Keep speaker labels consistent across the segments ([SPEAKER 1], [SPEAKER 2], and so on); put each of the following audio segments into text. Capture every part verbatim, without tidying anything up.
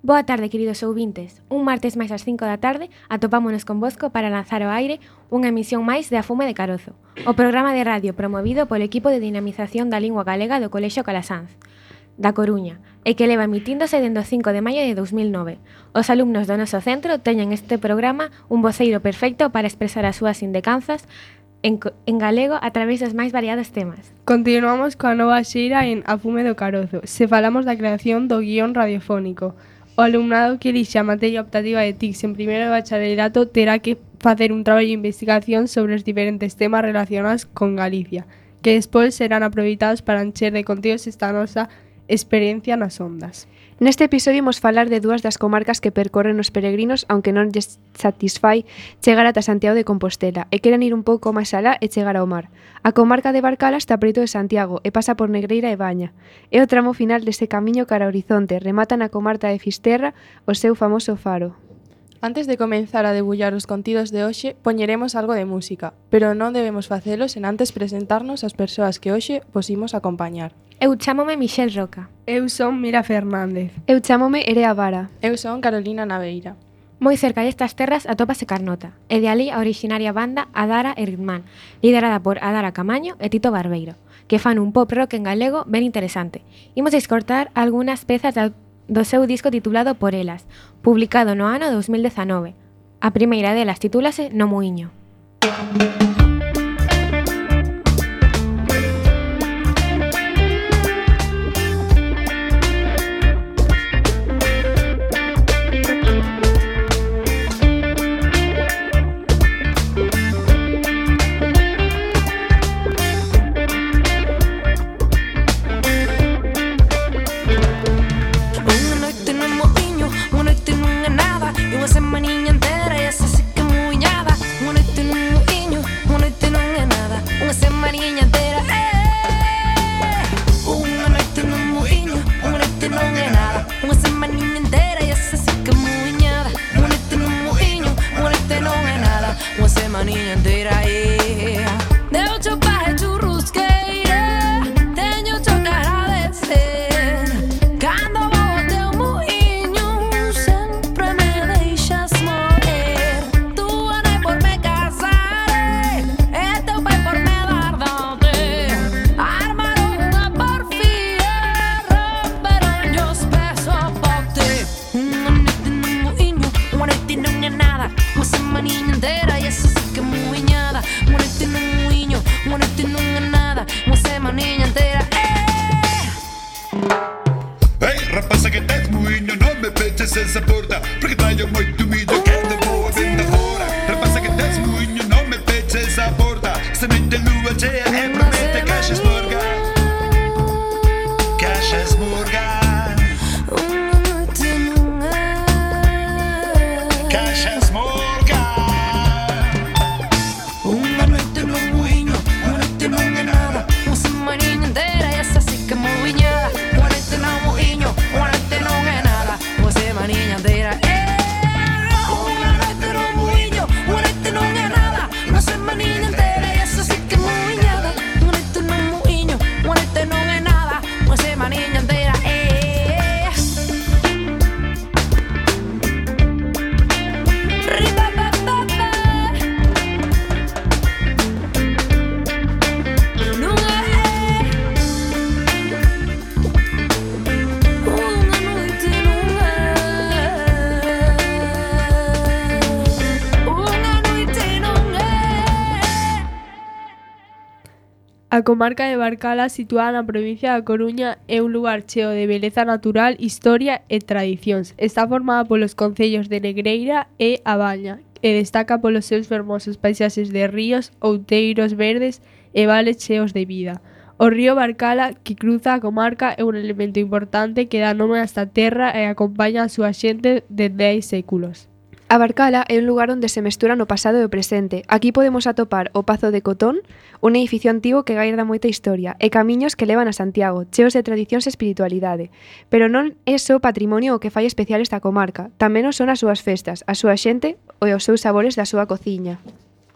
[SPEAKER 1] Boa tarde, queridos ouvintes. Un martes máis ás cinco da tarde atopámonos con Bosco para lanzar ao aire unha emisión máis de A Fume de Carozo, o programa de radio promovido polo equipo de dinamización da lingua galega do Colexio Calasanz, da Coruña, e que leva emitíndose dende o cinco de maio de dos mil nove. Os alumnos do noso centro teñen este programa un voceiro perfecto para expresar as súas indecanzas en, en galego a través dos máis variados temas.
[SPEAKER 2] Continuamos coa nova xeira en A Fume do Carozo. Se falamos da creación do guión radiofónico, o alumnado que elixe a materia optativa de T I C S en primeiro de bacharelato terá que facer un traballo de investigación sobre os diferentes temas relacionados con Galicia, que despois serán aproveitados para encher de contidos esta nosa experiencia nas ondas.
[SPEAKER 3] Neste episodio imos falar de dúas das comarcas que percorren os peregrinos, aunque non lles satisfai chegar ata Santiago de Compostela e queren ir un pouco máis alá e chegar ao mar. A comarca de Barcala está preto de Santiago e pasa por Negreira e Baña. É o tramo final dese camiño cara ao horizonte, remata na comarca de Fisterra o seu famoso faro.
[SPEAKER 4] Antes de comenzar a debullar os contidos de hoxe, poñeremos algo de música, pero non debemos facelo sen antes presentarnos as persoas que hoxe vos imos acompañar.
[SPEAKER 1] Eu chámome Michelle Roca.
[SPEAKER 2] Eu son Mira Fernández.
[SPEAKER 3] Eu chámome Erea Vara.
[SPEAKER 4] Eu son Carolina Naveira.
[SPEAKER 1] Moi cerca destas terras atópase Carnota, e de ali a originaria banda Adara e Ritmán, liderada por Adara Camaño e Tito Barbeiro, que fan un pop rock en galego ben interesante. Imos escortar algunhas pezas da do seu disco titulado Por Elas, publicado no ano dos mil dezanove. A primeira delas titúlase No Muiño.
[SPEAKER 2] A comarca de Barcala, situada na provincia da Coruña, é un lugar cheo de beleza natural, historia e tradicións. Está formada polos concellos de Negreira e A Baña e destaca polos seus fermosos paisaxes de ríos, outeiros verdes e vales cheos de vida. O río Barcala, que cruza a comarca, é un elemento importante que dá nome a esta terra e acompaña a súa xente dende hai séculos.
[SPEAKER 3] A Barcala é un lugar onde se mesturan o pasado e o presente. Aquí podemos atopar o Pazo de Cotón, un edificio antigo que garda moita historia, e camiños que levan a Santiago, cheos de tradicións e espiritualidade. Pero non é só patrimonio o que fai especial esta comarca, tamén o son as súas festas, a súa xente e os seus sabores da súa cociña.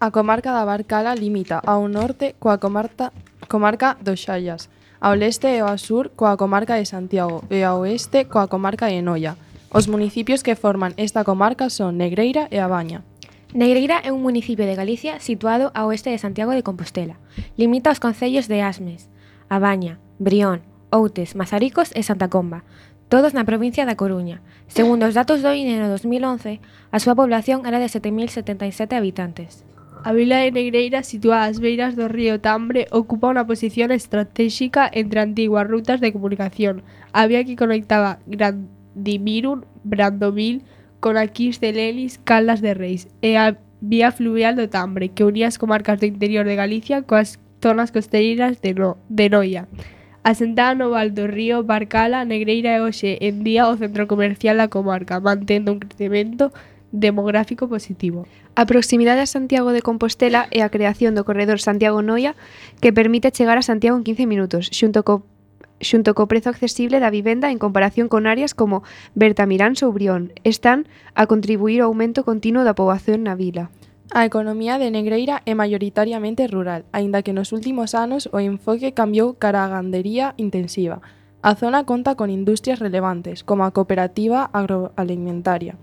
[SPEAKER 4] A comarca da Barcala limita ao norte coa comarca, comarca dos Xallas, ao leste e ao sur coa comarca de Santiago e ao oeste coa comarca de Noia. Os municipios que forman esta comarca son Negreira e A Baña.
[SPEAKER 1] Negreira é un municipio de Galicia situado ao oeste de Santiago de Compostela. Limita os concellos de Asmes, A Baña, Brión, Outes, Mazaricos e Santa Comba, todos na provincia da Coruña. Segundo os datos do I N E no dos mil once, a súa población era de sete mil setenta e sete habitantes.
[SPEAKER 2] A vila de Negreira, situada ás beiras do río Tambre, ocupa unha posición estratéxica entre antiguas rutas de comunicación. A vía que conectaba Grandimirun, Brandomil, con Aquís de Lelis, Caldas de Reis, e a vía fluvial do Tambre, que unía as comarcas do interior de Galicia coas zonas costeiras de, no, de Noia. Asentada no val do río Barcala, Negreira é hoxe en día o centro comercial da comarca, mantendo un crecemento demográfico positivo.
[SPEAKER 3] A proximidade a Santiago de Compostela e a creación do corredor Santiago-Noia que permite chegar a Santiago en quince minutos, xunto co, xunto co prezo accesible da vivenda en comparación con áreas como Bertamiráns ou Brión, están a contribuir ao aumento continuo da poboación na vila.
[SPEAKER 4] A economía de Negreira é maioritariamente rural, aínda que nos últimos anos o enfoque cambiou cara á gandería intensiva. A zona conta con industrias relevantes, como a cooperativa agroalimentaria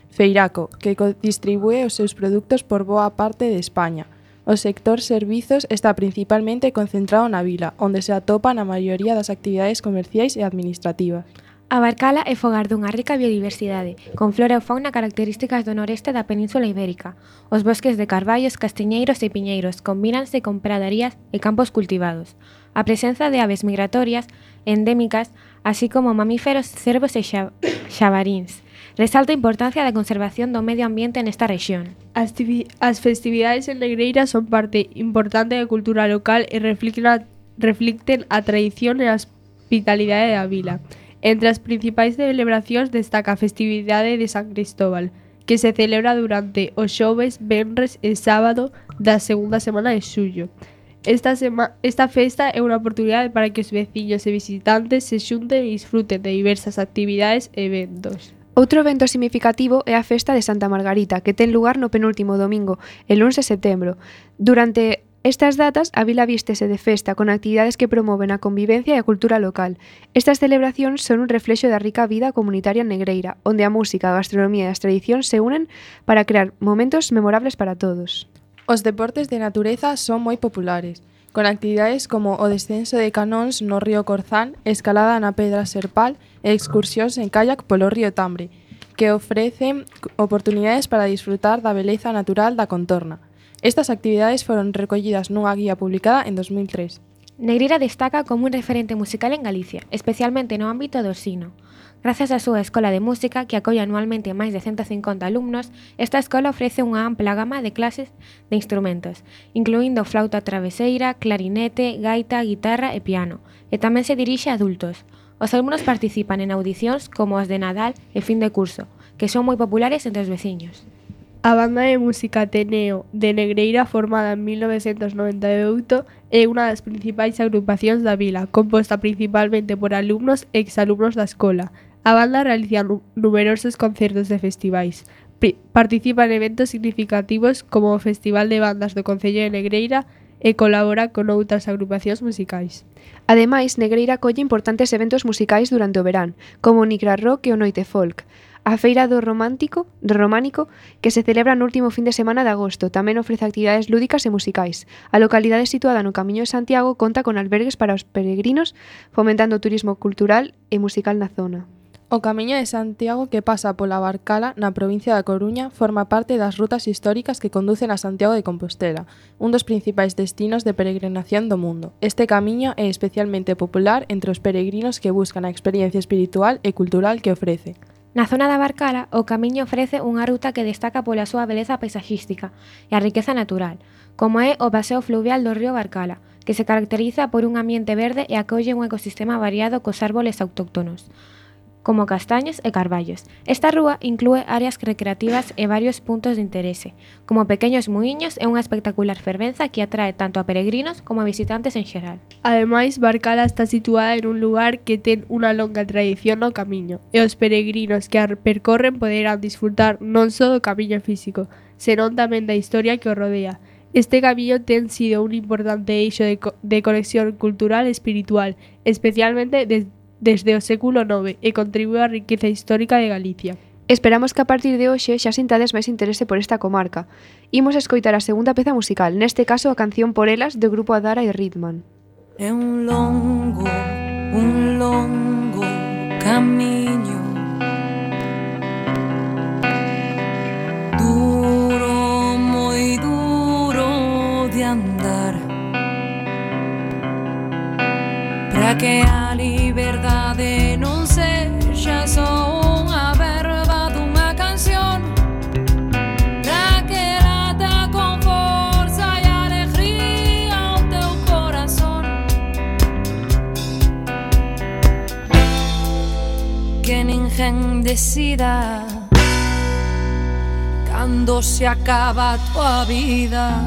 [SPEAKER 4] Feiraco, que distribúe os seus produtos por boa parte de España. O sector servizos está principalmente concentrado na vila, onde se atopan a maioría das actividades comerciais e administrativas.
[SPEAKER 1] A Barcala é fogar dunha rica biodiversidade, con flora e fauna características do noreste da Península Ibérica. Os bosques de carballos, castiñeiros e piñeiros combínanse con pradarías e campos cultivados. A presenza de aves migratorias endémicas, así como mamíferos, cervos e xabaríns, resalta a importancia da conservación do medio ambiente nesta rexión.
[SPEAKER 2] As, as festividades en Negreira son parte importante da cultura local e reflicten a, reflicten a tradición e a hospitalidade da vila. Entre as principais celebracións destaca a festividade de San Cristóbal, que se celebra durante os xoves, venres e sábado da segunda semana de xullo. Esta, sema, esta festa é unha oportunidade para que os veciños e visitantes se xunten e disfruten de diversas actividades e eventos.
[SPEAKER 3] Outro evento significativo é a festa de Santa Margarita, que ten lugar no penúltimo domingo, el once de setembro. Durante estas datas, a vila vístese de festa con actividades que promoven a convivencia e a cultura local. Estas celebracións son un reflexo da rica vida comunitaria en Negreira, onde a música, a gastronomía e as tradicións se unen para crear momentos memorables para todos.
[SPEAKER 4] Os deportes de natureza son moi populares, con actividades como o descenso de canóns no río Corzán, escalada na Pedra Serpal e excursións en kayak polo río Tambre, que ofrecen oportunidades para disfrutar da beleza natural da contorna. Estas actividades foron recollidas nunha guía publicada en dos mil tres.
[SPEAKER 1] Negreira destaca como un referente musical en Galicia, especialmente no ámbito do ensino. Grazas á súa escola de música, que acolle anualmente máis de ciento cincuenta alumnos, esta escola ofrece unha ampla gama de clases de instrumentos, incluindo flauta traveseira, clarinete, gaita, guitarra e piano, e tamén se dirixe a adultos. Os alumnos participan en audicións como as de Nadal e fin de curso, que son moi populares entre os veciños.
[SPEAKER 2] A banda de música Ateneo de Negreira, formada en mil novecentos noventa e oito, é unha das principais agrupacións da vila, composta principalmente por alumnos e exalumnos da escola. A banda realiza numerosos concertos de festivais. Participa en eventos significativos como o Festival de Bandas do Concello de Negreira e colabora con outras agrupacións musicais.
[SPEAKER 3] Ademais, Negreira acolle importantes eventos musicais durante o verán, como o Nigra Rock e o Noite Folk. A Feira do Romántico, do Románico, que se celebra no último fin de semana de agosto, tamén ofrece actividades lúdicas e musicais. A localidade situada no Camiño de Santiago conta con albergues para os peregrinos, fomentando o turismo cultural e musical na zona.
[SPEAKER 4] O Camiño de Santiago, que pasa pola Barcala, na provincia da Coruña, forma parte das rutas históricas que conducen a Santiago de Compostela, un dos principais destinos de peregrinación do mundo. Este camiño é especialmente popular entre os peregrinos que buscan a experiencia espiritual e cultural que ofrece.
[SPEAKER 1] Na zona da Barcala, o camiño ofrece unha ruta que destaca pola súa beleza paisaxística e a riqueza natural, como é o paseo fluvial do río Barcala, que se caracteriza por un ambiente verde e acolle un ecosistema variado cos árboles autóctonos, como castaños e carballos. Esta rúa inclúe áreas recreativas e varios puntos de interese, como pequeños muiños e unha espectacular fervenza que atrae tanto a peregrinos como a visitantes en xeral.
[SPEAKER 2] Ademais, Barcala está situada en un lugar que ten unha longa tradición no camiño, e os peregrinos que a percorren poderán disfrutar non só do camiño físico, senón tamén da historia que o rodea. Este camiño ten sido un importante eixo de, co- de conexión cultural e espiritual, especialmente desde desde o século nove e contribúe á riqueza histórica de Galicia.
[SPEAKER 3] Esperamos que a partir de hoxe xa sintades máis interese por esta comarca. Imos a escoitar a segunda peza musical, neste caso a canción Por elas do grupo Adara e Ritman.
[SPEAKER 5] É un longo, un longo camiño, duro, moi duro de andar, para que a liberdade non sexa só unha verba dunha canción, para que lata con forza e alegría o teu corazón, que ninguén decida cando se acaba a tua vida.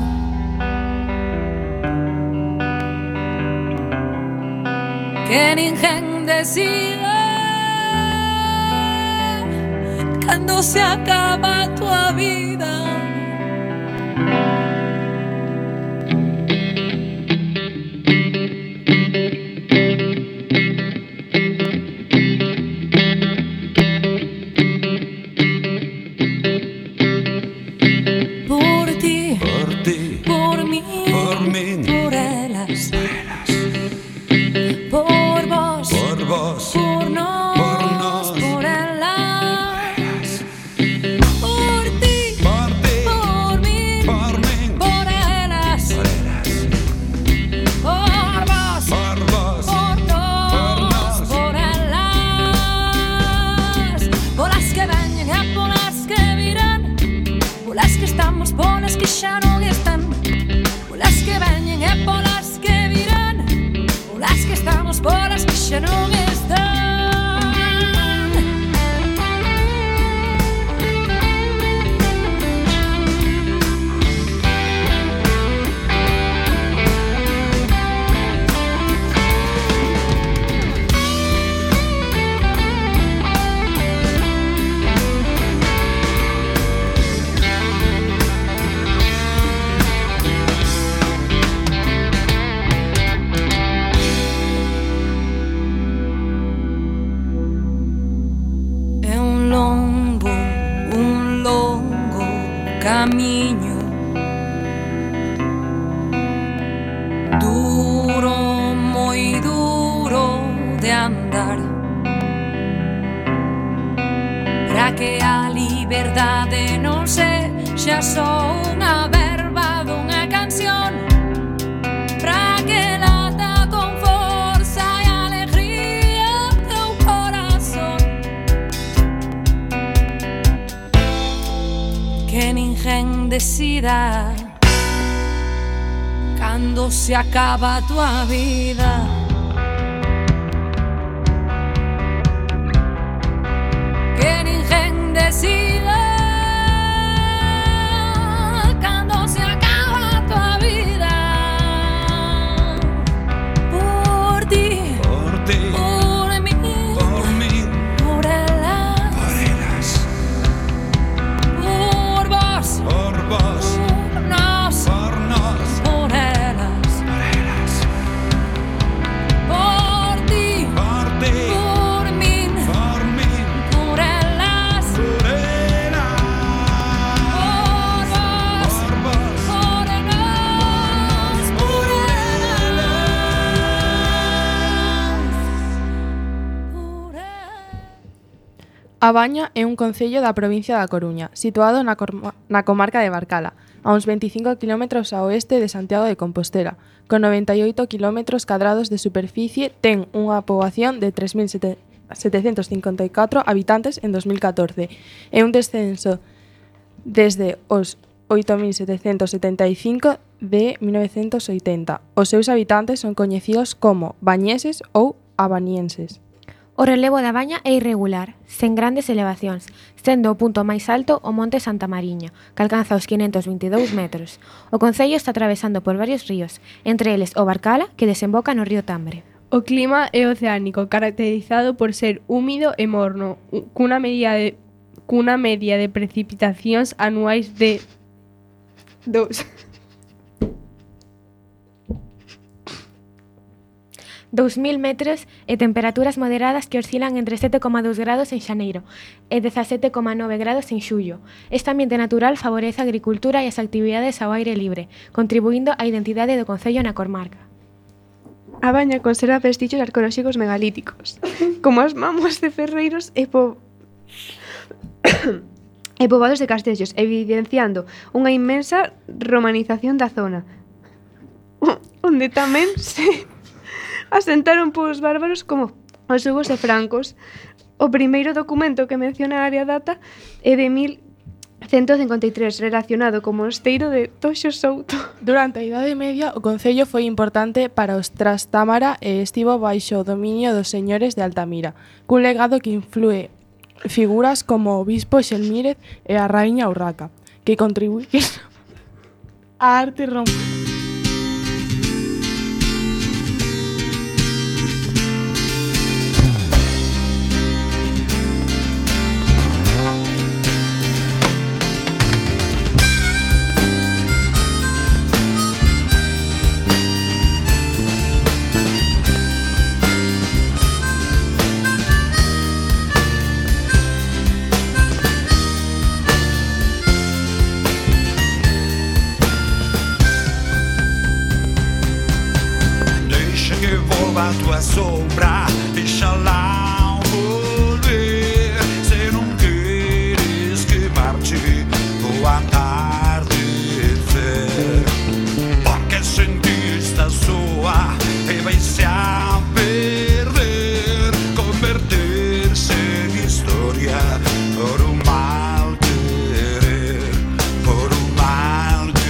[SPEAKER 5] Que ninguén decida cando se acaba a tua vida. Por ti,
[SPEAKER 6] Por ti,
[SPEAKER 5] por mí,
[SPEAKER 6] por min,
[SPEAKER 5] por elas, por vos,
[SPEAKER 6] por vos,
[SPEAKER 5] por nós,
[SPEAKER 6] por nós,
[SPEAKER 5] por elas, por ti,
[SPEAKER 6] por ti,
[SPEAKER 5] por mí,
[SPEAKER 6] por min,
[SPEAKER 5] por elas,
[SPEAKER 6] por elas,
[SPEAKER 5] por vos,
[SPEAKER 6] por vos,
[SPEAKER 5] por nós, por elas, polas que veñen e polas que virán, polas que estamos, polas que xa non están, polas que veñen e polas que virán, polas que estamos, polas que xa non están. É un longo, un longo camiño, duro, moi duro de andar, para que a liberdade non sexa só unha verba dunha canción, para que lata con forza e alegría o teu corazón, que ninguén decida cando se acaba a tua vida. Que ninguén decida cando se acaba a tua vida. Por ti,
[SPEAKER 6] por ti,
[SPEAKER 5] por mí,
[SPEAKER 6] por min,
[SPEAKER 5] por elas,
[SPEAKER 6] por elas,
[SPEAKER 5] por vos,
[SPEAKER 6] por vos,
[SPEAKER 5] por nós,
[SPEAKER 6] por nós,
[SPEAKER 5] por elas,
[SPEAKER 6] por elas,
[SPEAKER 5] por ti,
[SPEAKER 6] por ti,
[SPEAKER 5] por min,
[SPEAKER 6] por min,
[SPEAKER 5] por elas,
[SPEAKER 6] por elas,
[SPEAKER 5] por vos,
[SPEAKER 6] por vos,
[SPEAKER 5] por nós, por elas, por elas.
[SPEAKER 4] A Baña é un concello da provincia da Coruña, situado na, corma- na comarca de Barcala, a uns veinticinco kilómetros ao oeste de Santiago de Compostela. Con noventa e oito kilómetros cadrados de superficie, ten unha poboación de tres mil setecentos cincuenta e catro habitantes en dos mil catorce e un descenso desde os oito mil setecentos setenta e cinco de mil novecentos oitenta. Os seus habitantes son coñecidos como bañeses ou abanienses.
[SPEAKER 1] O relevo da Baña é irregular, sen grandes elevacións, sendo o punto máis alto o Monte Santa Mariña, que alcanza os quinhentos vinte e dous metros. O concello está atravesando por varios ríos, entre eles o Barcala, que desemboca no río Tambre.
[SPEAKER 2] O clima é oceánico, caracterizado por ser húmido e morno, cunha media de, cunha media de precipitacións anuais de dos
[SPEAKER 1] dous mil metros e temperaturas moderadas que oscilan entre sete coma dous grados en xaneiro e dezasete coma nove grados en xullo. Este ambiente natural favorece a agricultura e as actividades ao aire libre, contribuindo á identidade do concello na comarca.
[SPEAKER 3] A Baña conserva vestigios arqueolóxicos megalíticos, como as mamos de ferreiros e po... e poboados de castellos, evidenciando unha inmensa romanización da zona, onde tamén se asentaron povos bárbaros como os hugos e francos. O primeiro documento que menciona a área data é de mil cento cincuenta e tres, relacionado co mosteiro de Toxo Souto.
[SPEAKER 4] Durante a Idade Media, o concello foi importante para os Trastámara e estivo baixo o dominio dos señores de Altamira, cun legado que inflúe figuras como o bispo Xelmírez e a raíña Urraca, que contribuíron á arte romana.
[SPEAKER 6] A tua sombra, deixa-la volver. Se não queres que marche o atardecer, porque sentiste a sua e vai-se a perder, converter-se em história por um mal querer, por um mal querer.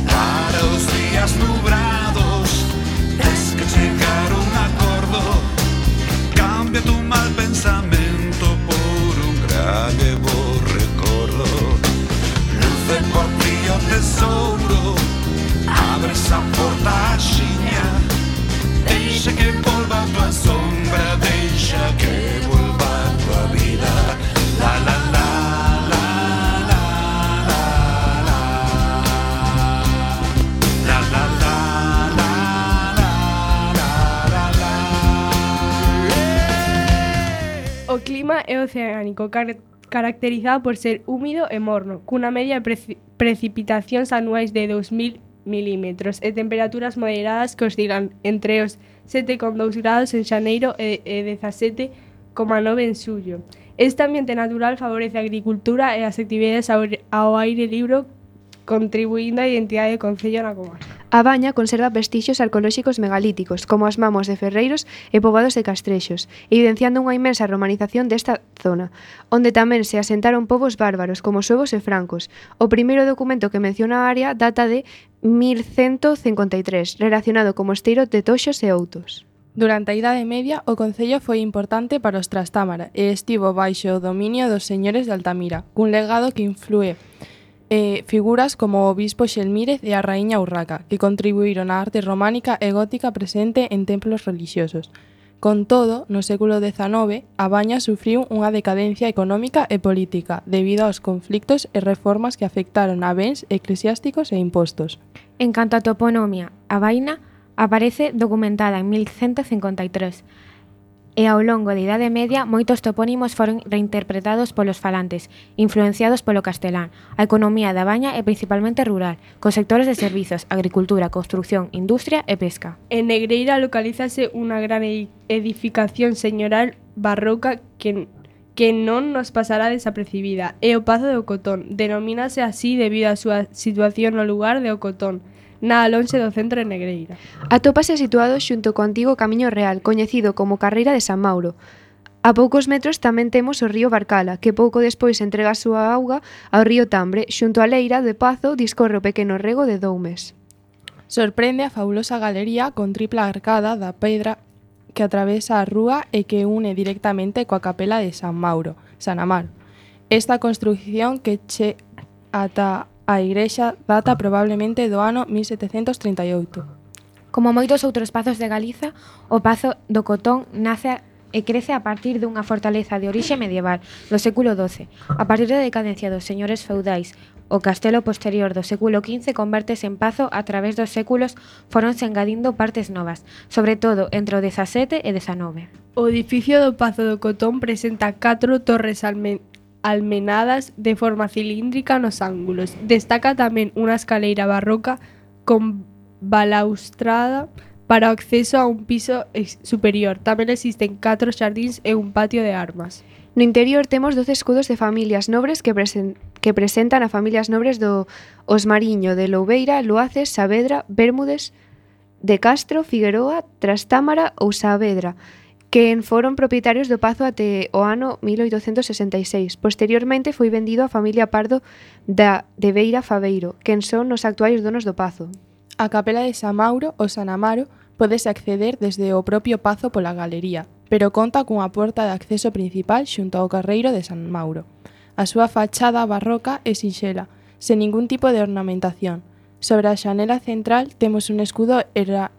[SPEAKER 6] Para os dias nubrados, es que llegar a un acuerdo, cambia tu mal pensamiento por un grande buen recuerdo. Luce por ti o tesouro, abre esa portaxinha, deixa que volva a tua sombra, deixa que volva a tua vida. La la la.
[SPEAKER 2] O clima é oceánico, car caracterizado por ser húmido e morno, cunha media de preci precipitacións anuais de dous mil milímetros e temperaturas moderadas que oscilan entre os sete coma dous grados en xaneiro e, e dezasete coma nove en xullo. Este ambiente natural favorece a agricultura e as actividades ao, ao aire libre, contribuindo á identidade do concello na comarca.
[SPEAKER 3] A Baña conserva vestixios arqueolóxicos megalíticos, como as mamos de ferreiros e poboados de castrexos, evidenciando unha inmensa romanización desta zona, onde tamén se asentaron povos bárbaros, como suevos e francos. O primeiro documento que menciona a área data de mil cento cincuenta e tres, relacionado co mosteiro de Toxos e Outos.
[SPEAKER 4] Durante a Idade Media, o concello foi importante para os Trastámara e estivo baixo o dominio dos señores de Altamira, cun legado que inflúe Eh, figuras como o bispo Xelmírez e a raíña Urraca, que contribuíron á arte románica e gótica presente en templos relixiosos. Con todo, no século dezanove, a Baña sufriu unha decadencia económica e política debido aos conflictos e reformas que afectaron a bens eclesiásticos e impostos.
[SPEAKER 1] En canto a toponomia, a Baina aparece documentada en mil cento cincuenta e tres, e ao longo da Idade Media moitos topónimos foron reinterpretados polos falantes, influenciados polo castelán. A economía da Baña é principalmente rural, con sectores de servizos, agricultura, construción, industria e pesca.
[SPEAKER 2] En Negreira localízase unha gran edificación señoral barroca que, que non nos pasará desapercibida. É o Pazo de Ocotón. Denomínase así debido á súa situación no lugar de Ocotón, nada lonxe do centro de Negreira.
[SPEAKER 3] Atópase situado xunto co antigo Camiño Real, coñecido como Carreira de San Mauro. A poucos metros tamén temos o río Barcala, que pouco despois entrega a súa auga ao río Tambre. Xunto á leira de Pazo discorre o pequeno rego de Doumes.
[SPEAKER 4] Sorprende a fabulosa galería con tripla arcada da pedra que atravesa a rúa e que une directamente coa capela de San Mauro, San Amaro. Esta construción que che ata a igrexa data probablemente do ano mil setecentos trinta e oito.
[SPEAKER 1] Como moitos outros pazos de Galiza, o Pazo do Cotón nace e crece a partir dunha fortaleza de orixe medieval do século doce. A partir da decadencia dos señores feudais, O castelo posterior do século quince convértese en pazo a través dos séculos foronse engadindo partes novas, sobre todo entre o dezasete e dezanove.
[SPEAKER 2] O edificio do Pazo do Cotón presenta catro torres almen almenadas de forma cilíndrica nos ángulos. Destaca tamén unha escaleira barroca con balaustrada para o acceso a un piso superior. Tamén existen catro xardíns e un patio de armas.
[SPEAKER 3] No interior temos doce escudos de familias nobres que, presen que presentan a familias nobres do Osmariño, de Louveira, Luaces, Saavedra, Bermudes, de Castro, Figueroa, Trastámara ou Saavedra, que foron propietarios do pazo até o ano mil oitocentos sesenta e seis. Posteriormente foi vendido á familia Pardo da de Beira Faveiro, quen son os actuais donos do pazo.
[SPEAKER 4] A capela de San Mauro, ou San Amaro, pódese acceder desde o propio pazo pola galería, pero conta cunha porta de acceso principal xunto ao carreiro de San Mauro. A súa fachada barroca é sinxela, sen ningún tipo de ornamentación. Sobre a xanela central temos un escudo era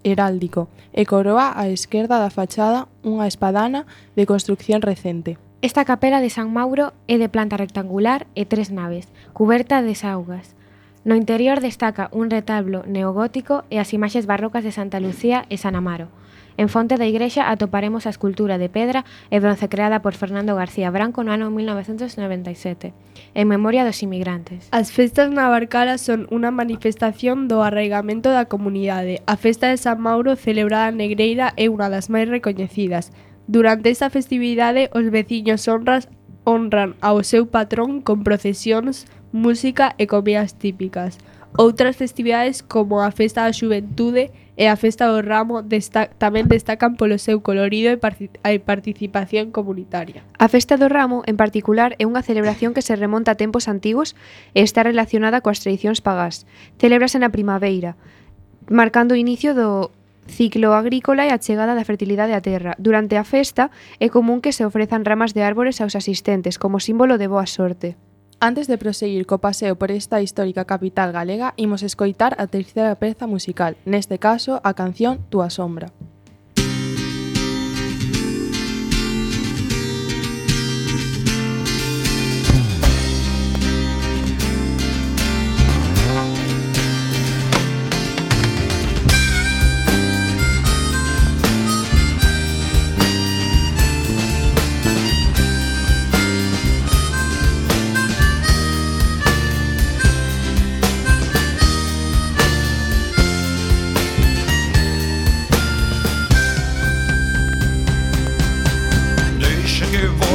[SPEAKER 4] heráldico e coroa á esquerda da fachada unha espadana de construcción recente.
[SPEAKER 1] Esta capela de San Mauro é de planta rectangular e tres naves, cuberta de saugas. No interior destaca un retablo neogótico e as imaxes barrocas de Santa Lucía e San Amaro. En fonte da igrexa atoparemos a escultura de pedra e bronce creada por Fernando García Branco no ano mil novecentos noventa e sete, en memoria dos inmigrantes.
[SPEAKER 2] As festas na Barcala son unha manifestación do arraigamento da comunidade. A festa de San Mauro, celebrada en Negreira, é unha das máis recoñecidas. Durante esta festividade, os veciños honras honran ao seu patrón con procesións, música e comidas típicas. Outras festividades como a Festa da Xuventude e a Festa do Ramo desta tamén destacan polo seu colorido e, e participación comunitaria.
[SPEAKER 3] A Festa do Ramo, en particular, é unha celebración que se remonta a tempos antigos e está relacionada coas tradicións pagás. Celébrase na primavera, marcando o inicio do ciclo agrícola e a chegada da fertilidade á terra. Durante a festa é común que se ofrezan ramas de árbores aos asistentes como símbolo de boa sorte.
[SPEAKER 4] Antes de proseguir co paseo por esta histórica capital galega, imos escoitar a terceira peza musical, neste caso a canción Túa sombra.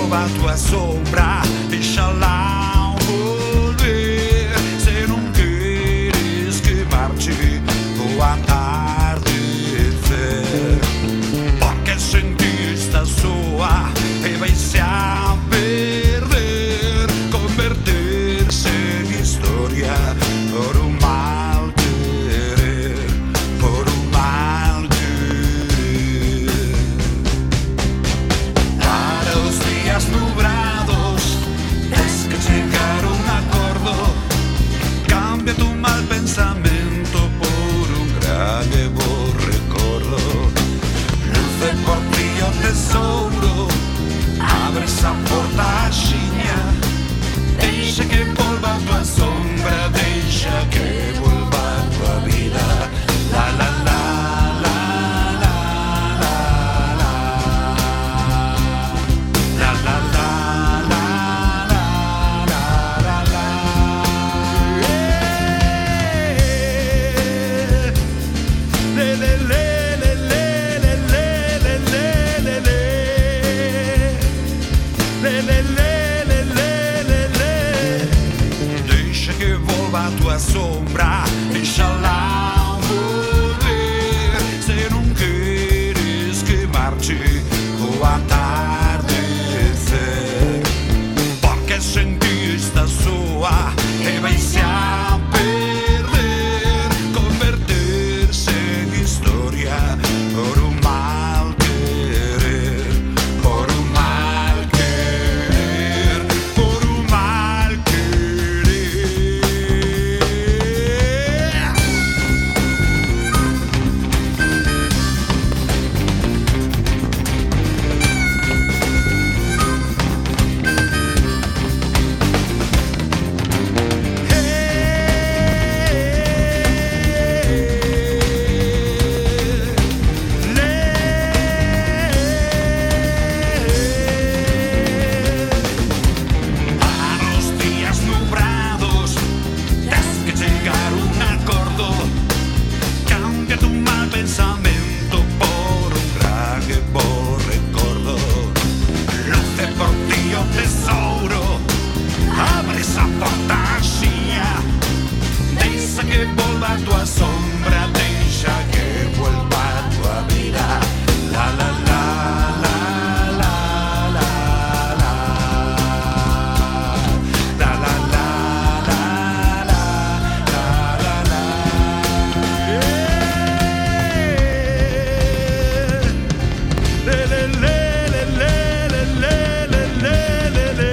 [SPEAKER 6] A tua sombra, deixa-la volver. Se não queres que marche o atardecer, porque sentir esta soa e vai-se a perder, converter-se em história por um mal querer, por um mal querer. Para os dias nubrados, es que llegar un acuerdo, cambia tu mal pensamiento por un grave recuerdo. Luce por ti o tesouro, abre esa portaxinha, deixa que volva a tua sombra, deixa que volva a tua vida. La la la. Tua sombra, deixa-la volver. Se não queres que marche o atardecer, porque sentir esta soa e vai-se a perder, converter-se em história por um mal querer, por um mal querer, por um mal querer. que volva a tua sombra, deixa que volva a tua vida. La la la la la la la la la la la la la la. Le le le le le le le le le le le le le.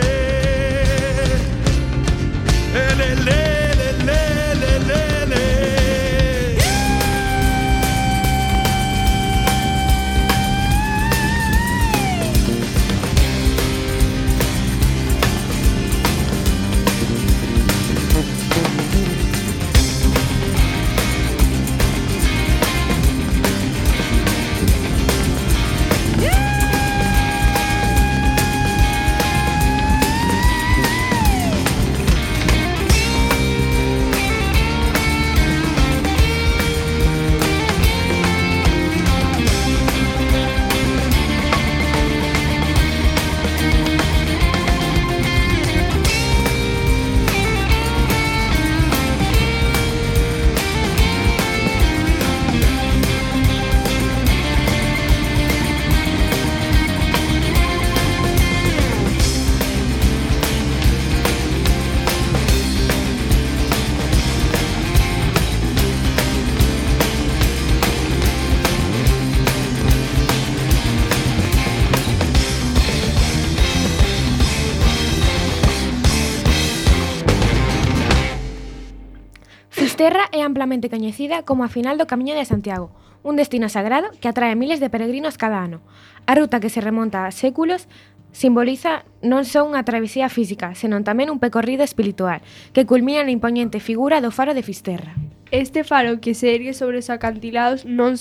[SPEAKER 1] Fisterra é amplamente coñecida como a final do Camiño de Santiago, un destino sagrado que atrae a miles de peregrinos cada ano. A ruta, que se remonta a séculos, simboliza non só unha travesía física, senón tamén un percorrido espiritual, que culmina na impoñente figura do faro de Fisterra.
[SPEAKER 2] Este faro que se ergue sobre os acantilados non,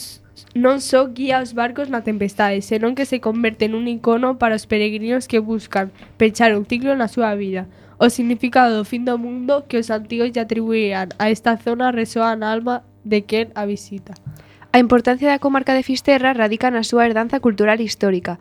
[SPEAKER 2] non só guía os barcos na tempestade, senón que se converte nun icono para os peregrinos que buscan pechar un ciclo na súa vida. O significado do fin do mundo que os antigos lle atribuían a esta zona resoa na alma de quen a visita.
[SPEAKER 3] A importancia da comarca de Fisterra radica na súa herdanza cultural histórica.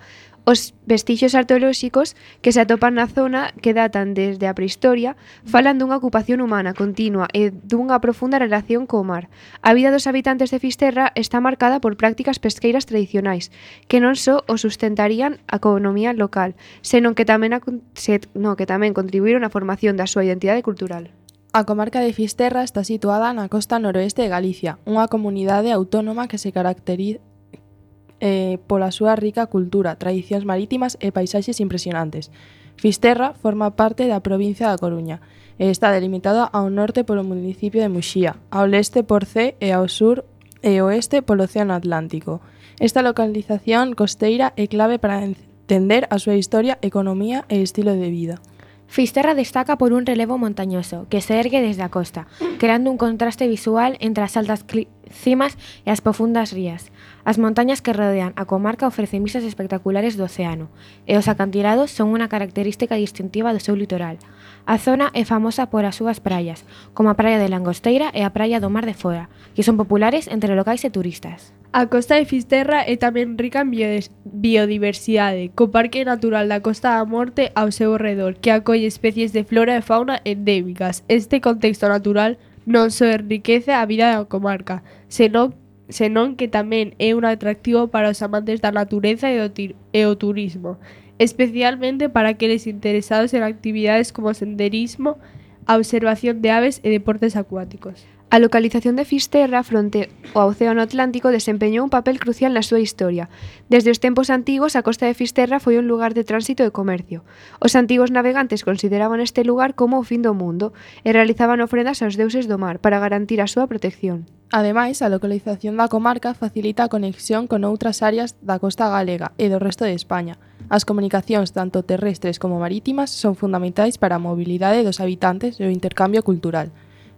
[SPEAKER 3] Os vestixios arqueolóxicos que se atopan na zona, que datan desde a prehistoria, falan dunha ocupación humana continua e dunha profunda relación co mar. A vida dos habitantes de Fisterra está marcada por prácticas pesqueiras tradicionais, que non só o sustentarían a economía local, senón que tamén, a, se, no, que tamén contribuíron á formación da súa identidade cultural.
[SPEAKER 4] A comarca de Fisterra está situada na costa noroeste de Galicia, unha comunidade autónoma que se caracteriza Eh, pola súa rica cultura, tradicións marítimas e paisaxes impresionantes. Fisterra forma parte da provincia da Coruña e está delimitada ao norte polo municipio de Muxía, ao leste por Cee e ao sur e oeste polo Océano Atlántico. Esta localización costeira é clave para entender a súa historia, economía e estilo de vida.
[SPEAKER 1] Fisterra destaca por un relevo montañoso que se ergue desde a costa, creando un contraste visual entre as altas cimas e as profundas rías. As montañas que rodean a comarca ofrecen vistas espectaculares do océano, e os acantilados son unha característica distintiva do seu litoral. A zona é famosa por as súas praias, como a praia de Langosteira e a praia do Mar de Fora, que son populares entre locais e turistas.
[SPEAKER 2] A costa de Fisterra é tamén rica en biodiversidade, co Parque Natural da Costa da Morte ao seu redor, que acolle especies de flora e fauna endémicas. Este contexto natural non só enriquece a vida da comarca, senón, senón que tamén é un atractivo para os amantes da natureza e, do e o turismo, especialmente para aqueles interesados en actividades como senderismo, a observación de aves e deportes acuáticos.
[SPEAKER 3] A localización de Fisterra fronte ao Océano Atlántico desempeñou un papel crucial na súa historia. Desde os tempos antigos, a costa de Fisterra foi un lugar de tránsito e comercio. Os antigos navegantes consideraban este lugar como o fin do mundo e realizaban ofrendas aos deuses do mar para garantir a súa protección.
[SPEAKER 4] Ademais, a localización da comarca facilita a conexión con outras áreas da costa galega e do resto de España. As comunicacións tanto terrestres como marítimas son fundamentais para a mobilidade dos habitantes e o intercambio cultural.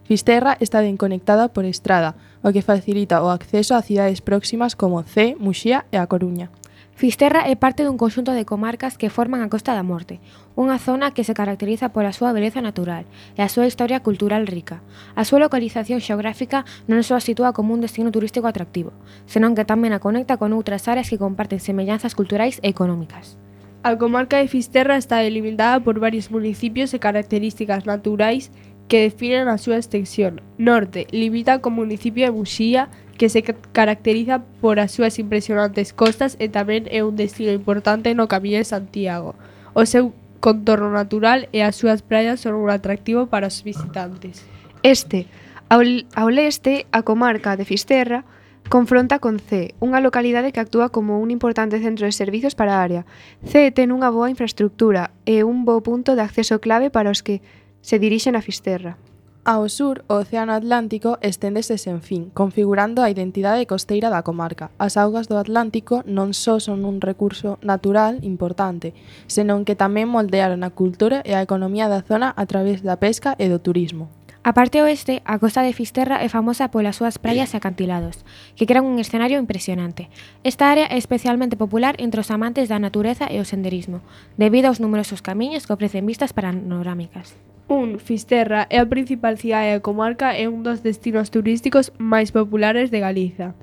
[SPEAKER 4] Fisterra está ben conectada por estrada, o que facilita o acceso a cidades próximas como Cee, Muxía e A Coruña.
[SPEAKER 1] Fisterra é parte dun conxunto de comarcas que forman a Costa da Morte, unha zona que se caracteriza pola súa beleza natural e a súa historia cultural rica. A súa localización xeográfica non só a sitúa como un destino turístico atractivo, senón que tamén a conecta con outras áreas que comparten semellanzas culturais e económicas.
[SPEAKER 2] A comarca de Fisterra está delimitada por varios municipios e características naturais que definen a súa extensión. Norte, limita co municipio de Muxía, que se ca- caracteriza por as súas impresionantes costas e tamén é un destino importante no Camiño de Santiago. O seu contorno natural e as súas praias son un atractivo para os visitantes.
[SPEAKER 3] Este, ao, ao leste, a comarca de Fisterra confronta con C, unha localidade que actúa como un importante centro de servizos para a área. C ten unha boa infraestructura e un bo punto de acceso clave para os que se dirixen a Fisterra.
[SPEAKER 4] Ao sur, o Océano Atlántico esténdese sen fin, configurando a identidade costeira da comarca. As augas do Atlántico non só son un recurso natural importante, senón que tamén moldearon a cultura e a economía da zona a través da pesca e do turismo.
[SPEAKER 1] A parte oeste, a costa de Fisterra é famosa polas súas praias e acantilados, que crean un escenario impresionante. Esta área é especialmente popular entre os amantes da natureza e o senderismo, debido aos numerosos camiños que ofrecen vistas panorámicas.
[SPEAKER 2] Un, Fisterra é a principal cidade da comarca e un dos destinos turísticos máis populares de Galiza.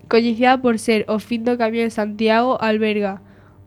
[SPEAKER 2] Coñecida por ser o fin do Camiño de Santiago, alberga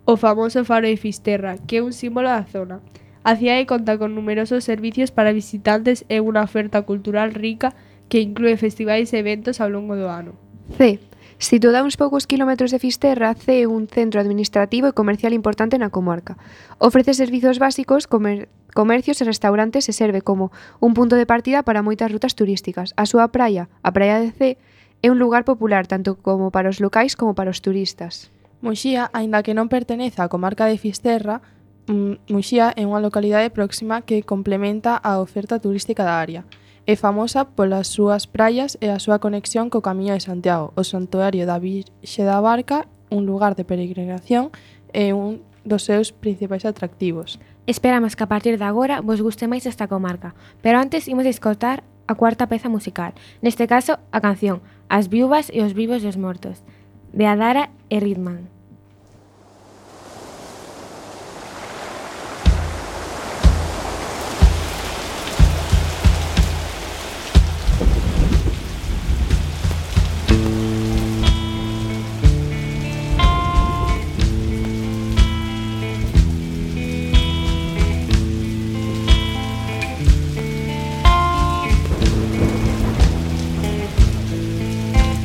[SPEAKER 2] o famoso faro de Fisterra, que é un símbolo da zona. A cidade conta con numerosos servicios para visitantes e unha oferta cultural rica que inclúe festivais e eventos ao longo do ano.
[SPEAKER 3] C. Situada a uns poucos kilómetros de Fisterra, C é un centro administrativo e comercial importante na comarca. Ofrece servizos básicos, comer comercios e restaurantes e serve como un punto de partida para moitas rutas turísticas. A súa praia, a praia de C, é un lugar popular tanto como para os locais como para os turistas.
[SPEAKER 4] Muxía, aínda que non pertenece á comarca de Fisterra, Muxía é unha localidade próxima que complementa a oferta turística da área. É famosa polas súas praias e a súa conexión co Camiño de Santiago, o Santuario da Virxe da Barca, un lugar de peregrinación e un dos seus principais atractivos.
[SPEAKER 1] Esperamos que a partir de agora vos guste máis esta comarca, pero antes imos escoitar a cuarta peza musical, neste caso a canción As viúvas e os vivos e os mortos, de Adara e Ritman.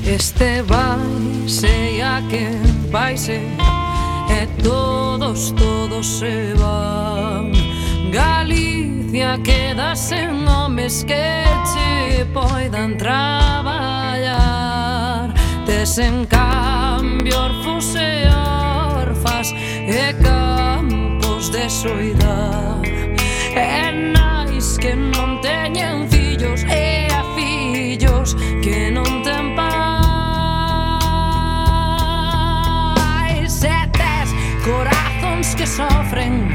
[SPEAKER 5] Este vai se a que vai se e todos, todos se van. Galicia queda sen homes que che poidan traballar. Tes en cambio orfos e orfas e campos de soidad. E nais que non teñen fillos e a fillos que non ten paz. Corazóns que sofren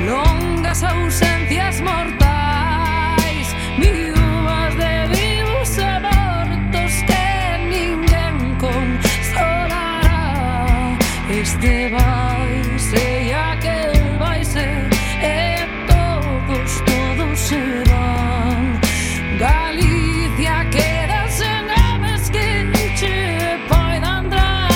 [SPEAKER 5] longas ausencias mortais, viúvas de vivos e mortos que ninguén consolará. Este vai se a que vai ser e todos, todos se van. Galicia queda sen homes que che poidan traballar.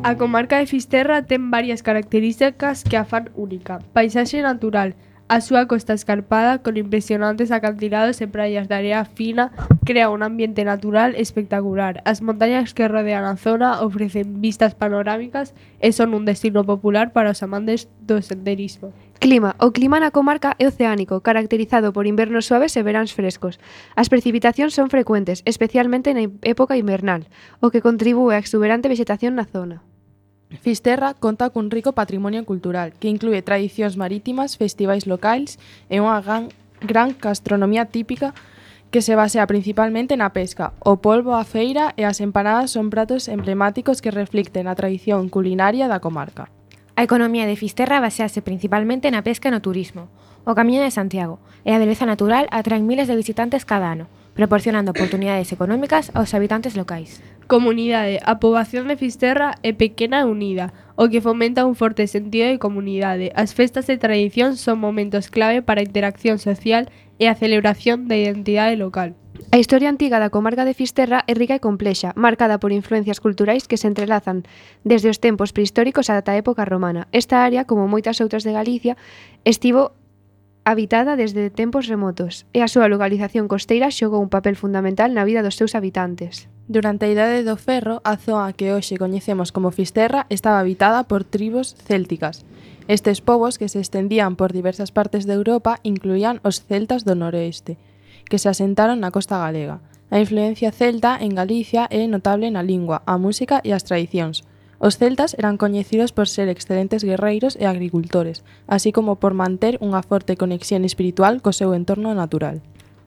[SPEAKER 2] A comarca de Fisterra ten varias características que a fan única. Paisaxe natural. A súa costa escarpada, con impresionantes acantilados e praias de area fina, crea un ambiente natural espectacular. As montañas que rodean a zona ofrecen vistas panorámicas e son un destino popular para os amantes do senderismo.
[SPEAKER 3] Clima. O clima na comarca é oceánico, caracterizado por invernos suaves e veráns frescos. As precipitacións son frecuentes, especialmente na época invernal, o que contribúe á exuberante vexetación na zona.
[SPEAKER 4] Fisterra conta cun rico patrimonio cultural que inclúe tradicións marítimas, festivais locais e unha gran, gran gastronomía típica que se basea principalmente na pesca. O polvo, a feira e as empanadas son pratos emblemáticos que reflicten a tradición culinaria da comarca.
[SPEAKER 1] A economía de Fisterra basease principalmente na pesca e no turismo. O Camiño de Santiago e a beleza natural atraen miles de visitantes cada ano, proporcionando oportunidades económicas aos habitantes locais.
[SPEAKER 2] Comunidade. A poboación de Fisterra é pequena e unida, o que fomenta un forte sentido de comunidade. As festas de tradición son momentos clave para a interacción social e a celebración da identidade local.
[SPEAKER 3] A historia antiga da comarca de Fisterra é rica e complexa, marcada por influencias culturais que se entrelazan desde os tempos prehistóricos ata a época romana. Esta área, como moitas outras de Galicia, estivo habitada desde tempos remotos e a súa localización costeira xogou un papel fundamental na vida dos seus habitantes.
[SPEAKER 4] Durante a Idade do Ferro, a zona que hoxe coñecemos como Fisterra estaba habitada por tribos célticas. Estes povos, que se estendían por diversas partes de Europa, incluían os celtas do noroeste, que se asentaron na costa galega. A influencia celta en Galicia é notable na lingua, a música e as tradicións. Os celtas eran coñecidos por ser excelentes guerreiros e agricultores, así como por manter unha forte conexión espiritual co seu entorno natural.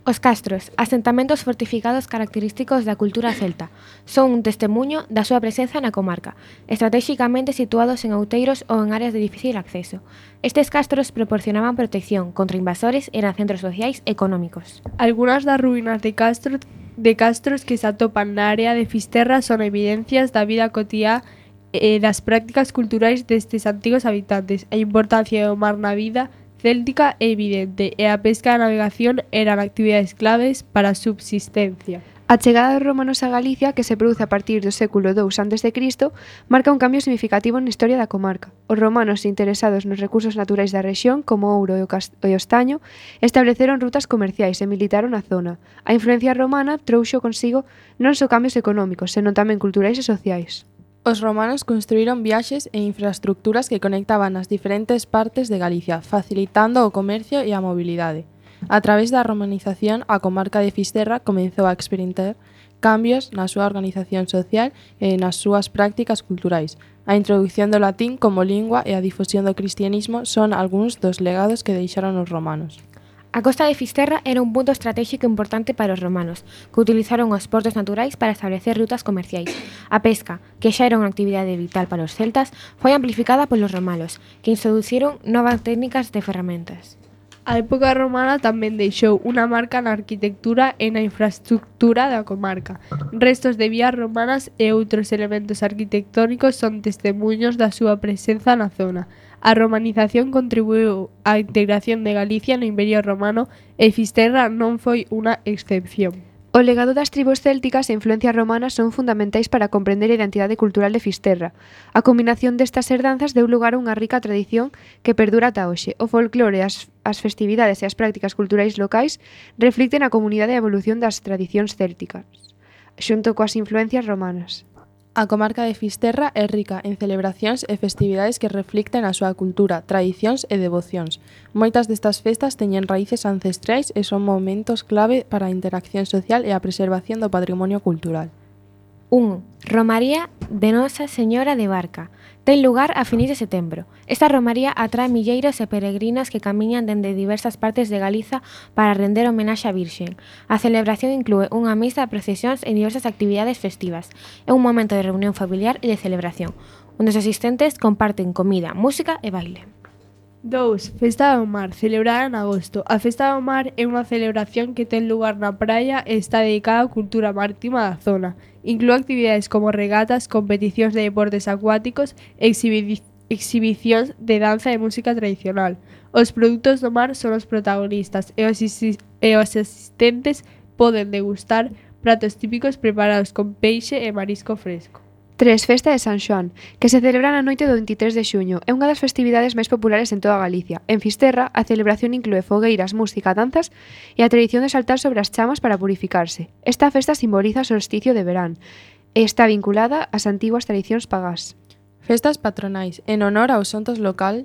[SPEAKER 1] Os castros, asentamentos fortificados característicos da cultura celta, son un testemuño da súa presenza na comarca, estratéxicamente situados en outeiros ou en áreas de difícil acceso. Estes castros proporcionaban protección contra invasores e eran centros sociais e económicos.
[SPEAKER 2] Algunhas das ruínas de castro de castros que se atopan na área de Fisterra son evidencias da vida cotiá e das prácticas culturais destes antigos habitantes. A importancia do mar na vida céltica é evidente e a pesca e a navegación eran actividades claves para a subsistencia.
[SPEAKER 3] A chegada dos romanos a Galicia, que se produce a partir do século segundo antes de Cristo, marca un cambio significativo na historia da comarca. Os romanos, interesados nos recursos naturais da rexión, como o ouro e o, e o estaño, estableceron rutas comerciais e militaron a zona. A influencia romana trouxo consigo non só cambios económicos, senón tamén culturais e sociais.
[SPEAKER 4] Os romanos construíron viaxes e infraestructuras que conectaban as diferentes partes de Galicia, facilitando o comercio e a mobilidade. A través da romanización, a comarca de Fisterra comezou a experimentar cambios na súa organización social e nas súas prácticas culturais. A introducción do latín como lingua e a difusión do cristianismo son algúns dos legados que deixaron os romanos.
[SPEAKER 1] A costa de Fisterra era un punto estratégico importante para os romanos, que utilizaron os portos naturais para establecer rutas comerciais. A pesca, que xa era unha actividade vital para os celtas, foi amplificada polos romanos, que introduciron novas técnicas de ferramentas.
[SPEAKER 2] A época romana tamén deixou unha marca na arquitectura e na infraestructura da comarca. Restos de vías romanas e outros elementos arquitectónicos son testemuños da súa presenza na zona. A romanización contribuiu á integración de Galicia no Imperio Romano e Fisterra non foi unha excepción.
[SPEAKER 3] O legado das tribos célticas e influencias romanas son fundamentais para comprender a identidade cultural de Fisterra. A combinación destas herdanzas deu lugar a unha rica tradición que perdura ata hoxe. O folclore, as, as festividades e as prácticas culturais locais reflicten a comunidade e a evolución das tradicións célticas, xunto coas influencias romanas.
[SPEAKER 4] A comarca de Fisterra é rica en celebracións e festividades que reflicten a súa cultura, tradicións e devocións. Moitas destas festas teñen raíces ancestrais e son momentos clave para a interacción social e a preservación do patrimonio cultural.
[SPEAKER 1] un. Romaría de Nosa Señora de Barca. Ten lugar a finis de setembro. Esta romaría atrae milleiros e peregrinos que camiñan dende diversas partes de Galiza para render homenaxe á Virxen. A celebración inclúe unha misa, procesións e diversas actividades festivas. É un momento de reunión familiar e de celebración, onde os asistentes comparten comida, música e baile.
[SPEAKER 2] dous. Festa do Mar, celebrada en agosto. A Festa do Mar é unha celebración que ten lugar na praia e está dedicada á cultura marítima da zona. Inclúe actividades como regatas, competicións de deportes acuáticos e exhibi- exhibicións de danza e música tradicional. Os produtos do mar son os protagonistas e os, isi- e os asistentes poden degustar pratos típicos preparados con peixe e marisco fresco.
[SPEAKER 3] tres. Festa de San Xoán, que se celebra na noite do vinte e tres de xuño. É unha das festividades máis populares en toda Galicia. En Fisterra, a celebración inclúe fogueiras, música, danzas e a tradición de saltar sobre as chamas para purificarse. Esta festa simboliza o solsticio de verán e está vinculada ás antiguas tradicións pagás.
[SPEAKER 4] Festas patronais, en honor aos santos local,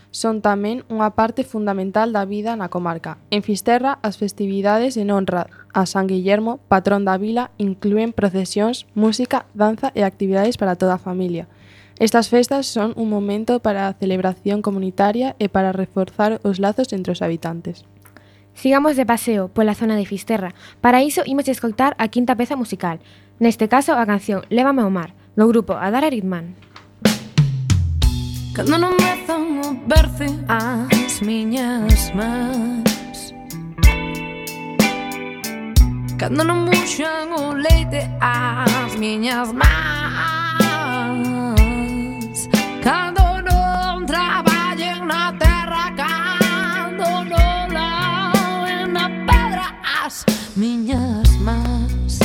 [SPEAKER 4] son tamén unha parte fundamental da vida na comarca. En Fisterra, as festividades en honra a San Guillermo, patrón da vila, inclúen procesións, música, danza e actividades para toda a familia. Estas festas son un momento para a celebración comunitaria e para reforzar os lazos entre os habitantes.
[SPEAKER 1] Sigamos de paseo pola zona de Fisterra. Para iso, imos escoitar a quinta peza musical. Neste caso, a canción Lévame ao mar, do grupo Adar Aritmán.
[SPEAKER 5] Cando non mezan o berce as miñas mans, cando non buxan o leite as miñas mans, cando non traballen na terra, cando non laven na pedra as miñas mans.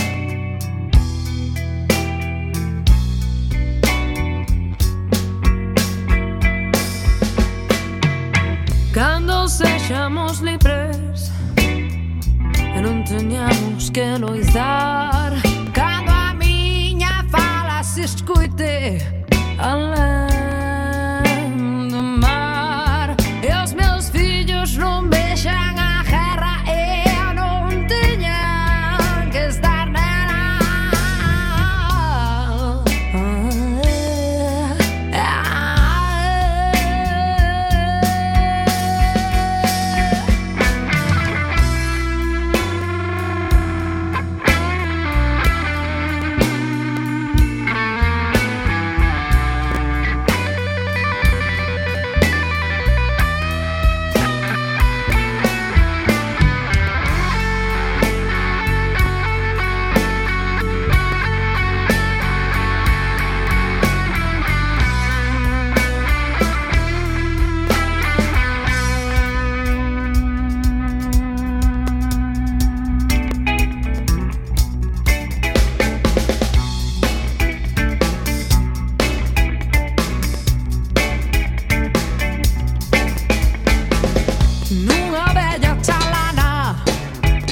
[SPEAKER 5] Cando sexamos libres e non teñamos que loizar, cando a miña fala se escoite alén do mar e os meus fillos non vexan a guerra e non teñan que estar nela.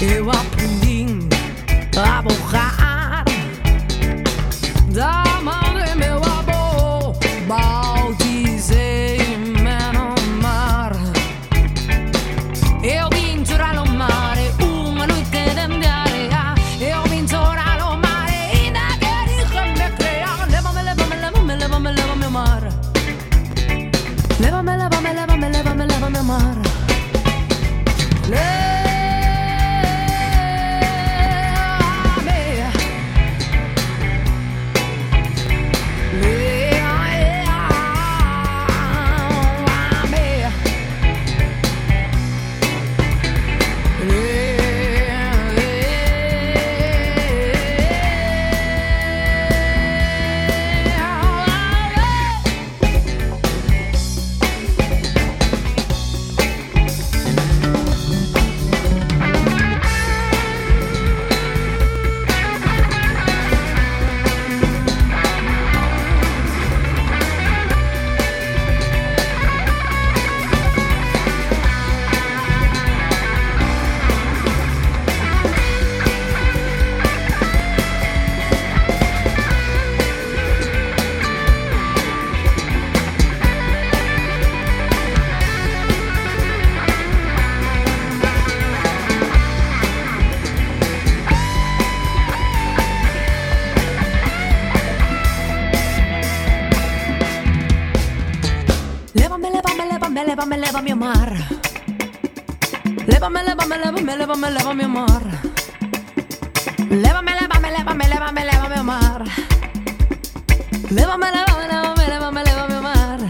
[SPEAKER 5] Eu aprendín a bojar da man de meu avó, bautizei-me no mar. Eu vim chorar o mare unha noite dende area. Eu vim chorar o mare e na que díxeme crear. Lévame, lévame, lévame, lévame, lévame ao mar. Lévame, lévame, lévame, lévame, lévame ao mar. Lévame. Lévame, lévame ao mar. Lévame, lévame, lévame, lévame, lévame ao mar. Lévame, lévame, lévame, lévame, lévame ao mar. Lévame, lévame, lévame, lévame, lévame ao mar.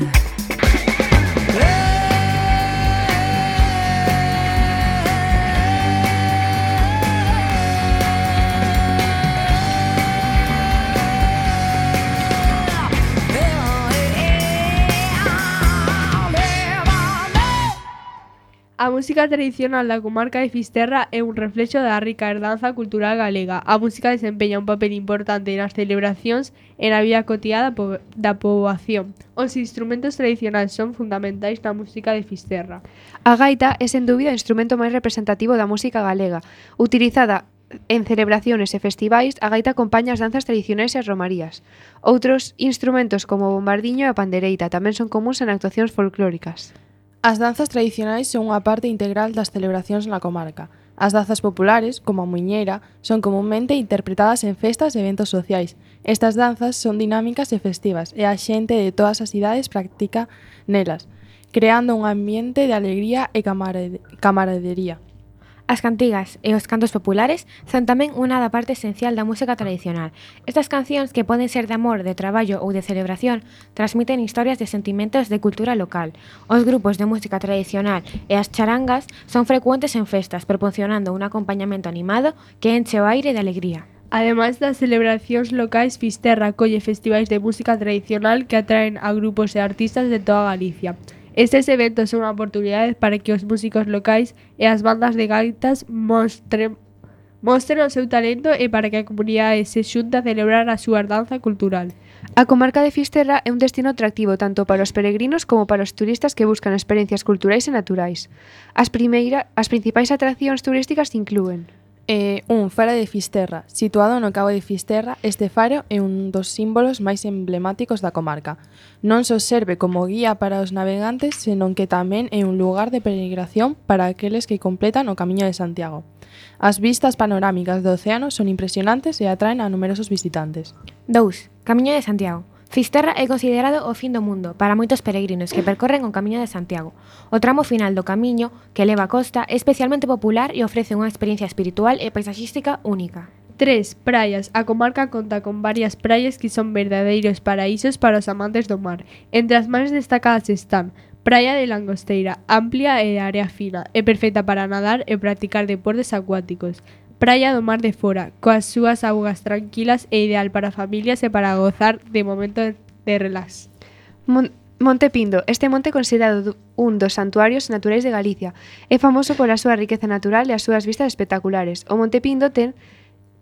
[SPEAKER 2] A música tradicional da comarca de Fisterra é un reflexo da rica herdanza cultural galega. A música desempeña un papel importante nas celebracións e na vida cotiá da, po da poboación. Os instrumentos tradicionais son fundamentais na música de Fisterra.
[SPEAKER 3] A gaita é sen dúbida o instrumento máis representativo da música galega. Utilizada en celebraciones e festivais, a gaita acompaña as danzas tradicionais e as romarías. Outros instrumentos como o bombardiño e a pandereita tamén son comuns en actuacións folclóricas.
[SPEAKER 4] As danzas tradicionais son unha parte integral das celebracións na comarca. As danzas populares, como a muiñeira, son comúnmente interpretadas en festas e eventos sociais. Estas danzas son dinámicas e festivas e a xente de todas as idades practica nelas, creando un ambiente de alegría e camarade camaradería.
[SPEAKER 1] As cantigas e os cantos populares son tamén unha da parte esencial da música tradicional. Estas cancións, que poden ser de amor, de traballo ou de celebración, transmiten historias de sentimentos de cultura local. Os grupos de música tradicional e as charangas son frecuentes en festas, proporcionando un acompañamento animado que enche o aire de alegría.
[SPEAKER 2] Ademais das celebracións locais, Fisterra acolle festivais de música tradicional que atraen a grupos e artistas de toda Galicia. Estes eventos son unha oportunidade para que os músicos locais e as bandas de gaitas mostren, mostren o seu talento e para que a comunidade se xunte a celebrar a súa herdanza cultural.
[SPEAKER 3] A comarca de Fisterra é un destino atractivo tanto para os peregrinos como para os turistas que buscan experiencias culturais e naturais. As, primeira, as principais atraccións turísticas inclúen
[SPEAKER 4] Eh, un faro de Fisterra. Situado no cabo de Fisterra, este faro é un dos símbolos máis emblemáticos da comarca. Non só serve como guía para os navegantes, senón que tamén é un lugar de peregrinación para aqueles que completan o Camiño de Santiago. As vistas panorámicas do océano son impresionantes e atraen a numerosos visitantes.
[SPEAKER 1] dous. Camiño de Santiago. Fisterra é considerado o fin do mundo para moitos peregrinos que percorren o Camiño de Santiago. O tramo final do camiño, que leva a costa, é especialmente popular e ofrece unha experiencia espiritual e paisaxística única.
[SPEAKER 2] tres. Praias. A comarca conta con varias praias que son verdadeiros paraísos para os amantes do mar. Entre as máis destacadas están Praia de Langosteira, amplia e de área fina, é perfecta para nadar e practicar deportes acuáticos. Praia do Mar de Fora, coas súas augas tranquilas e ideal para familias e para gozar de momentos de relax.
[SPEAKER 3] Mon Monte Pindo. Este monte é considerado un dos santuarios naturais de Galicia. É famoso pola súa riqueza natural e as súas vistas espectaculares. O Monte Pindo ten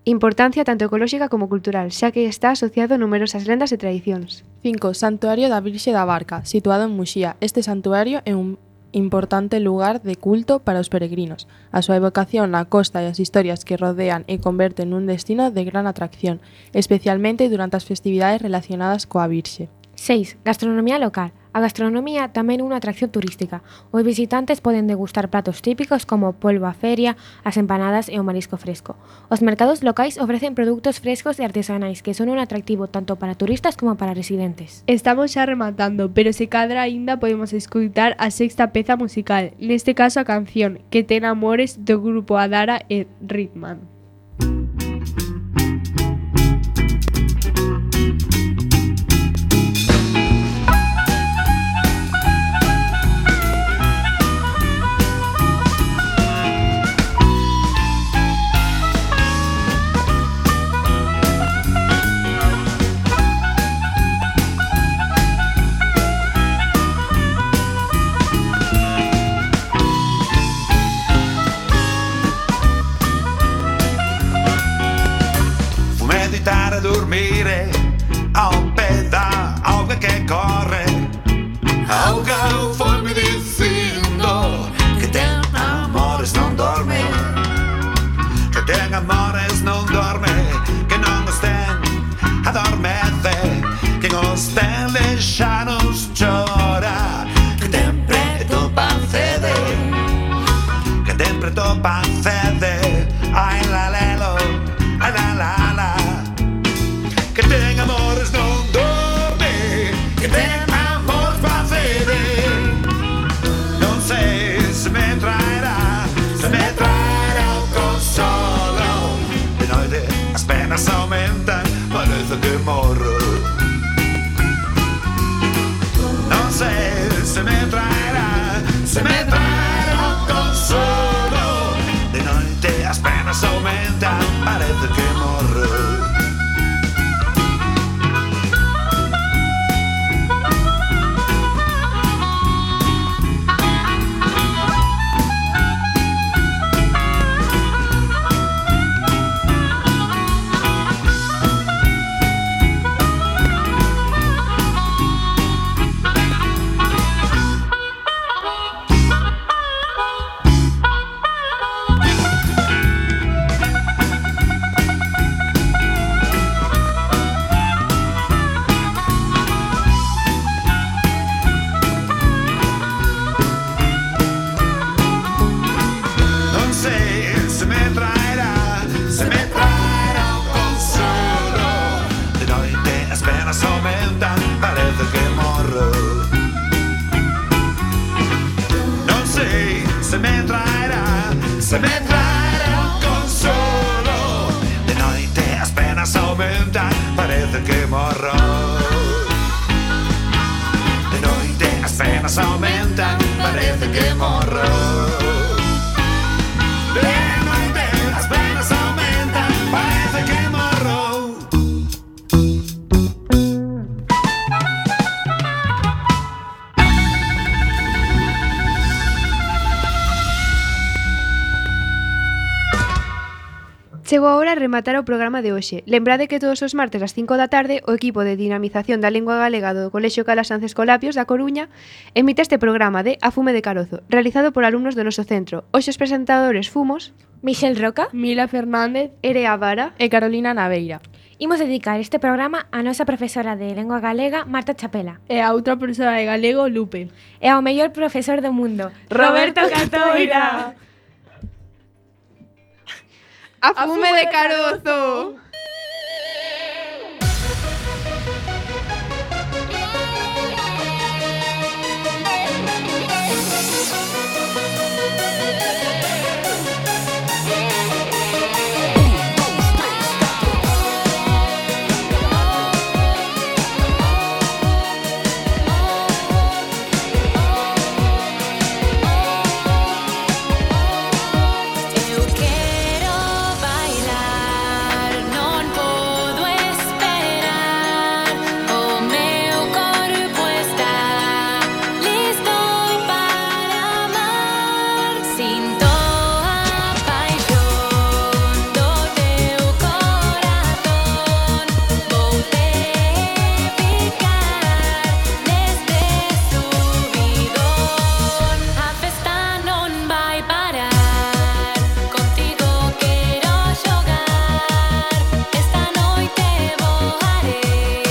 [SPEAKER 3] importancia tanto ecolóxica como cultural, xa que está asociado a numerosas lendas e tradicións.
[SPEAKER 4] cinco. Santuario da Virxe da Barca, situado en Muxía. Este santuario é un importante lugar de culto para os peregrinos. A súa evocación na costa e as historias que rodean e converten nun destino de gran atracción, especialmente durante as festividades relacionadas coa Virxe.
[SPEAKER 1] seis. Gastronomía local. A gastronomía tamén é unha atracción turística. Os visitantes poden degustar pratos típicos como o polvo á feria, as empanadas e o marisco fresco. Os mercados locais ofrecen produtos frescos e artesanais que son un atractivo tanto para turistas como para residentes.
[SPEAKER 2] Estamos xa rematando, pero se cadra aínda podemos escoitar a sexta peza musical, neste caso a canción Que ten amores do grupo Adara e Ritman.
[SPEAKER 6] Dormire a un peda, auga que corre, auga foi-me dicindo que ten amores non dorme, que ten amores non dorme, que non os ten adormece, que os ten deixanos chora, que ten preto pancede, que ten preto pancede, ai la lelo, ai la la la. Que ten amores non dorme, que ten amor facede. Non sei se me traerá, se me traerá o consolo. De noite as penas aumentan, parece que morro. Non sei se me traerá, se me traerá o consolo. De noite as penas aumentan, parece que morro. as penas aumentan, parece que morro. Non sei se me traerá, se me traerá un consolo. De noite as penas aumentan, parece que morro. De noite as penas aumentan, parece que morro. De noite as penas aumentan, parece que morro.
[SPEAKER 3] Chegou a hora de rematar o programa de hoxe. Lembrade que todos os martes ás cinco da tarde o equipo de dinamización da lingua galega do Colexio Calas Sanz Escolapios da Coruña emite este programa de A Fume de Carozo, realizado por alumnos do noso centro. Hoxe os presentadores fomos
[SPEAKER 1] Michel Roca.
[SPEAKER 2] Mila Fernández.
[SPEAKER 3] Erea Vara
[SPEAKER 4] E Carolina Naveira.
[SPEAKER 1] Imos dedicar este programa á nosa profesora de lengua galega, Marta Chapela,
[SPEAKER 2] E a outra profesora de galego, Lupe.
[SPEAKER 1] e ao mellor profesor do mundo,
[SPEAKER 2] Roberto
[SPEAKER 1] Roberto
[SPEAKER 2] Catoira.
[SPEAKER 1] Catoira.
[SPEAKER 3] A Fume de Carozo.